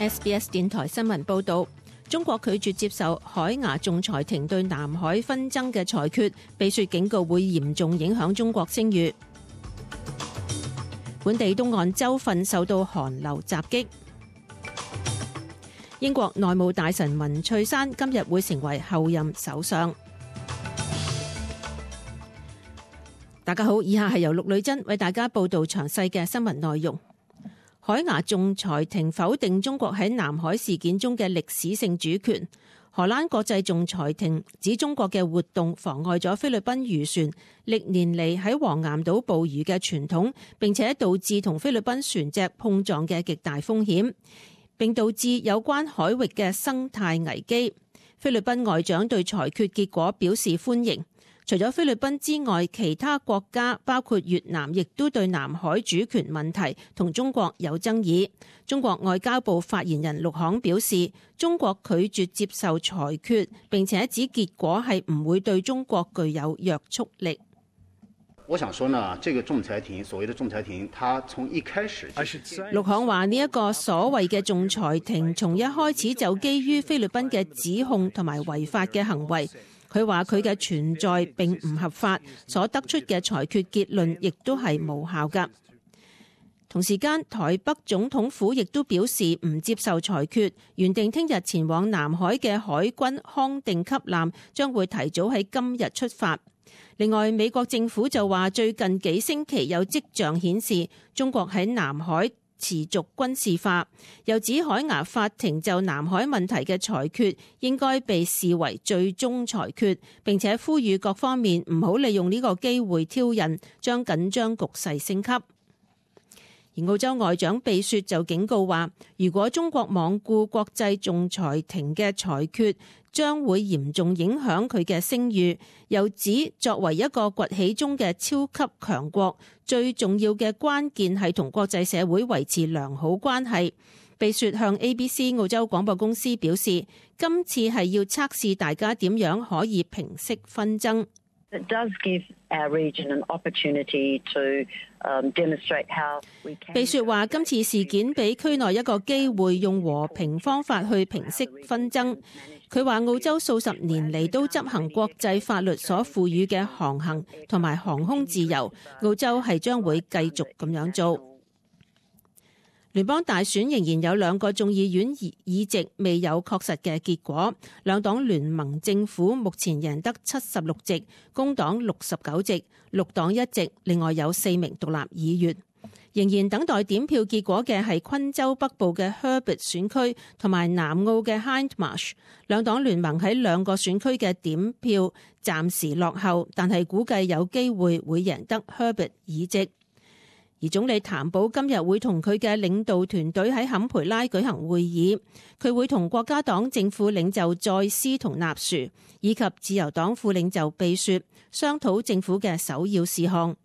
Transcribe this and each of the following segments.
SBS 電台新聞報導，中國拒絕接受海牙仲裁庭對南海紛爭嘅裁決，被說警告會嚴重影響中國聲譽。本地東岸州份受到寒流襲擊。英國內務大臣文翠珊今日會成為後任首相。大家好，以下係由陸女珍為大家報道詳細嘅新聞內容。海牙仲裁庭否定中國喺南海事件中嘅歷史性主權。荷蘭國際仲裁庭指中國嘅活動妨礙咗菲律賓漁船歷年嚟喺黃岩島捕魚嘅傳統，並且導致同菲律賓船隻碰撞嘅極大風險，並導致有關海域嘅生態危機。菲律賓外長對裁決結果表示歡迎。除咗菲律賓之外，其他國家包括越南亦都對南海主權問題同中國有爭議。中國外交部發言人陸慷表示，中國拒絕接受裁決，並且指結果係唔會對中國具有約束力。我想說呢，這個仲裁庭，所謂的仲裁庭，它從一開始，陸慷話呢一個所謂嘅仲裁庭，從一開始就基於菲律賓嘅指控同埋違法嘅行為。佢話佢嘅存在並唔合法，所得出嘅裁決結論亦都係無效㗎。同時間，台北總統府亦都表示唔接受裁決，原定聽日前往南海嘅海軍康定級艦將會提早喺今日出發。另外，美國政府就話最近幾星期有跡象顯示中國喺南海持續軍事化，又指海牙法庭就南海問題嘅裁決應該被視為最終裁決，並且呼籲各方面唔好利用呢個機會挑釁，將緊張局勢升級。而澳洲外長貝雪就警告話，如果中國罔顧國際仲裁庭嘅裁決，將會嚴重影響佢嘅聲譽。又指作為一個崛起中嘅超級強國，最重要嘅關鍵係同國際社會維持良好關係。貝雪向 ABC 澳洲廣播公司表示，今次係要測試大家點樣可以平息紛爭。It does give our region an opportunity to demonstrate how we can。貝雪話：今次事件俾區內一個機會，用和平方法去平息紛爭。佢話澳洲數十年嚟都執行國際法律所賦予嘅航行同埋航空自由，澳洲係將會繼續咁樣做。聯邦大選仍然有兩個眾議院議席未有確實嘅結果，兩黨聯盟政府目前贏得76席，工黨69席，綠黨1席，另外有4名獨立議員。仍然等待點票結果嘅係昆州北部嘅 Herbert 選區同埋南澳嘅 Hindmarsh， 兩黨聯盟喺兩個選區嘅點票暫時落後，但係估計有機會會贏得 Herbert 議席。而總理譚寶今日會同佢嘅領導團隊喺坎培拉舉行會議，佢會同國家黨政府領袖再斯同納殊以及自由黨副領袖貝雪商討政府嘅首要事項。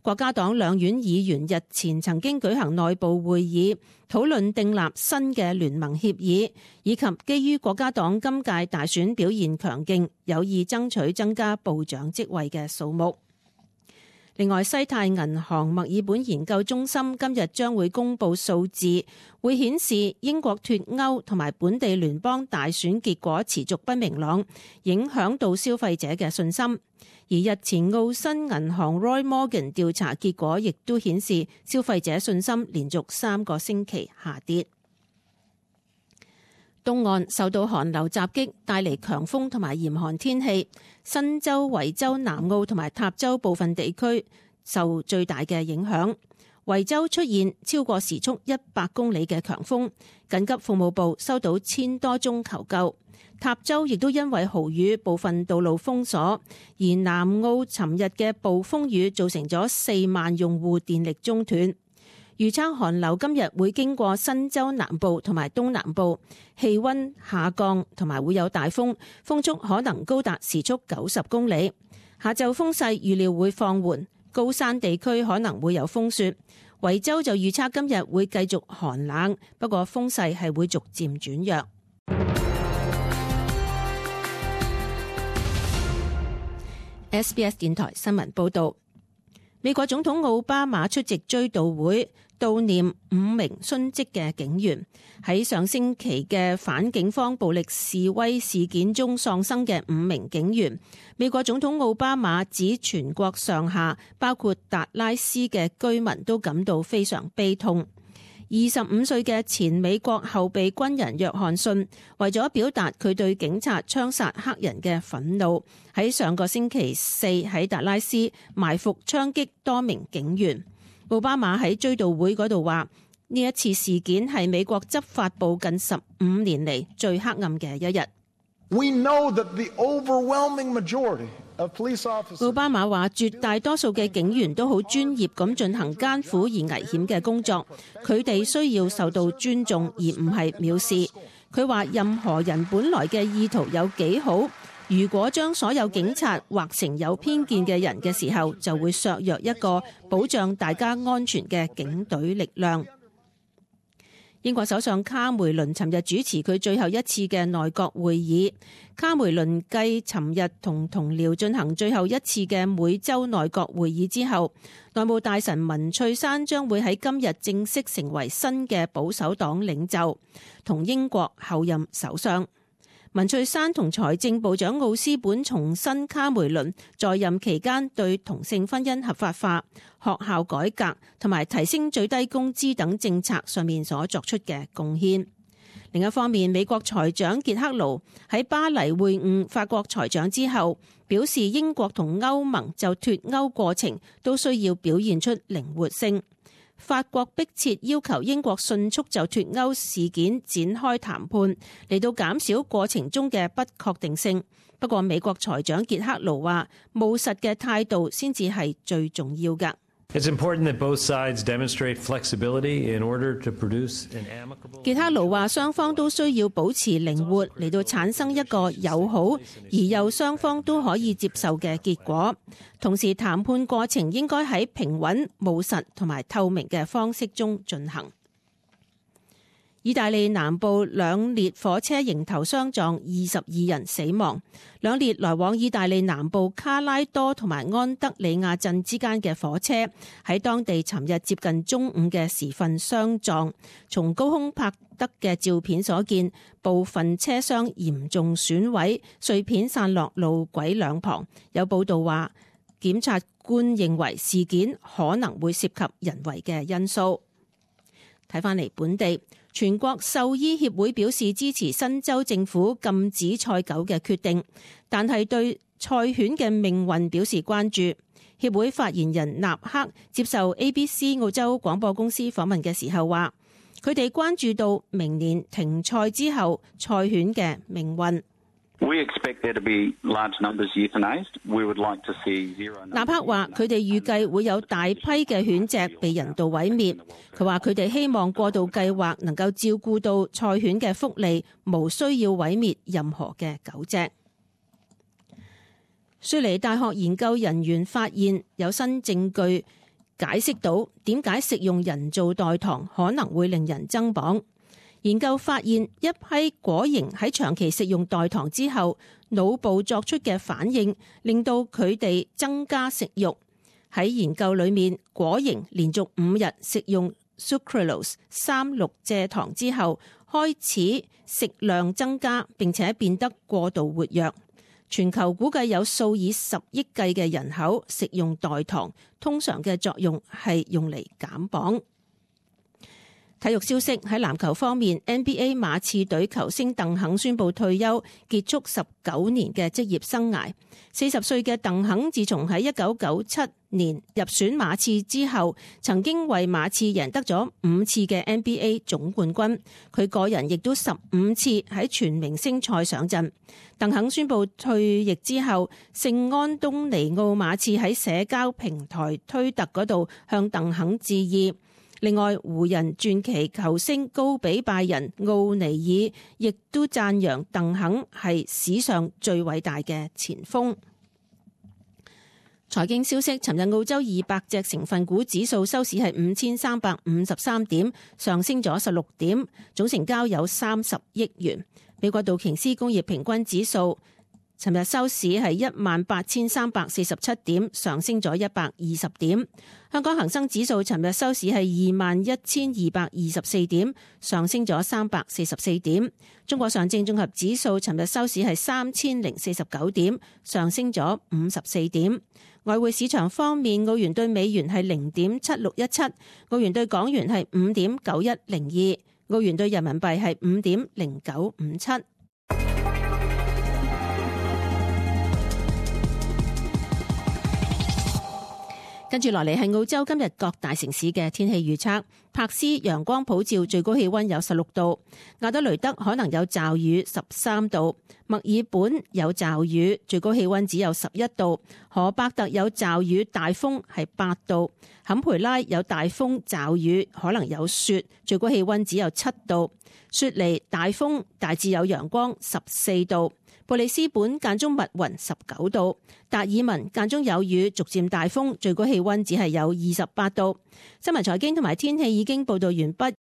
國家黨兩院議員日前曾經舉行內部會議，討論訂立新嘅聯盟協議，以及基於國家黨今屆大選表現強勁，有意爭取增加部長職位嘅數目。另外，西太銀行墨爾本研究中心今日將會公布數字，會顯示英國脫歐同埋本地聯邦大選結果持續不明朗，影響到消費者嘅信心。而日前澳新銀行 Roy Morgan 調查結果亦都顯示消費者信心連續3個星期下跌。東岸受到寒流襲擊，帶嚟強風同埋嚴寒天氣。新州、維州、南澳同埋塔州部分地區受最大嘅影響。維州出現超過時速100公里嘅強風，緊急服務部收到1000多宗求救。塔州亦都因為豪雨，部分道路封鎖。而南澳尋日嘅暴風雨造成咗4萬用戶電力中斷。預測寒流今日會經過新州南部同埋東南部，氣溫下降同埋會有大風，風速可能高達時速90公里。下晝風勢預料會放緩，高山地區可能會有風雪。維州就預測今日會繼續寒冷，不過風勢係會逐漸轉弱。SBS 電台新聞報道。美國總統奧巴馬出席追悼會，悼念5名殉職嘅警員。喺上星期嘅反警方暴力示威事件中喪生嘅5名警員，美國總統奧巴馬指全國上下，包括達拉斯嘅居民都感到非常悲痛。25歲嘅前美國後備軍人約翰遜為咗表達佢對警察槍殺黑人嘅憤怒，喺上個星期四喺達拉斯埋伏槍擊多名警員。奧巴馬喺追悼會嗰度話：呢一次事件係美國執法部近15年嚟最黑暗嘅一日。奧巴馬話：絕大多數嘅警員都好專業咁進行艱苦而危險嘅工作，佢哋需要受到尊重而唔係藐視。佢話：任何人本來嘅意圖有幾好，如果將所有警察劃成有偏見嘅人嘅時候，就會削弱一個保障大家安全嘅警隊力量。英國首相卡梅倫尋日主持佢最後一次嘅內閣會議。卡梅倫繼尋日同同僚進行最後一次嘅每週內閣會議之後，內務大臣文翠珊將會喺今日正式成為新嘅保守黨領袖，同英國後任首相。文翠珊同財政部長奧斯本重申卡梅倫在任期間對同性婚姻合法化、學校改革同埋提升最低工資等政策上面所作出嘅貢獻。另一方面，美國財長傑克盧喺巴黎會晤法國財長之後，表示英國同歐盟就脫歐過程都需要表現出靈活性。法國迫切要求英國迅速就脫歐事件展開談判，嚟到減少過程中嘅不確定性。不過，美國財長傑克盧話，務實嘅態度先至係最重要㗎。傑克盧話，雙方都需要保持靈活，嚟到產生一個友好而又雙方都可以接受嘅結果。同時，談判過程應該喺平穩、務實同埋透明嘅方式中進行。意大利南部兩列火車迎頭相撞，22人死亡。兩列來往意大利南部卡拉多同埋安德里亞鎮之間嘅火車喺當地尋日接近中午嘅時分相撞。從高空拍得嘅照片所見，部分車廂嚴重損毀，碎片散落路軌兩旁。有報道話，檢察官認為事件可能會涉及人為嘅因素。睇返嚟本地，全國獸醫協會表示支持新州政府禁止賽狗嘅決定，但係對賽犬嘅命運表示關注。協會發言人納克接受 ABC 澳洲廣播公司訪問嘅時候話，佢哋關注到明年停賽之後賽犬嘅命運。納克話：佢哋預計會有大批嘅犬隻被人道毀滅。佢話佢哋希望過渡計劃能夠照顧到賽犬嘅福利，無需要毀滅任何嘅狗隻。雪梨大學研究人員發現有新證據解釋到點解食用人造代糖可能會令人增磅。研究發現，一批果蠅喺長期食用代糖之後，腦部作出嘅反應，令到佢哋增加食慾。喺研究裏面，果蠅連續5日食用 sucralose 3,6蔗糖之後，開始食量增加，並且變得過度活躍。全球估計有數以10億計嘅人口食用代糖，通常嘅作用係用嚟減磅。體育消息，喺籃球方面， NBA 馬刺隊球星鄧肯宣布退休，結束19年嘅職業生涯。40歲嘅鄧肯自從喺1997年入選馬刺之後，曾經為馬刺贏得咗5次嘅 NBA 總冠軍。佢個人亦都15次喺全明星賽上陣。鄧肯宣布退役之後，聖安東尼奧馬刺喺社交平台推特嗰度向鄧肯致意。另外，湖人傳奇球星高比拜仁奧尼爾亦都讚揚鄧肯係史上最偉大嘅前鋒。財經消息，尋日澳洲200隻成分股指數收市係5353點，上升咗16點，總成交有30億元。美國道瓊斯工業平均指數尋日收市係18,347點，上升咗120點。香港恒生指數尋日收市係21,224點，上升咗344點。中國上證綜合指數尋日收市係3,049點，上升咗54點。外匯市場方面，澳元對美元係0.7617，澳元對港元係5.9102，澳元對人民幣係5.0957。跟住落嚟係澳洲今日各大城市嘅天氣預測。柏斯陽光普照，最高氣溫有16度；亞德雷德可能有驟雨，13度；墨爾本有驟雨，最高氣溫只有11度；荷伯特有驟雨大風係8度；坎培拉有大風驟雨，可能有雪，最高氣溫只有7度；雪梨大風大致有陽光14度；布里斯本間中密雲19度；達爾文間中有雨，逐漸大風，最高氣溫只係有28度。新聞財經同埋天氣已經報道完畢。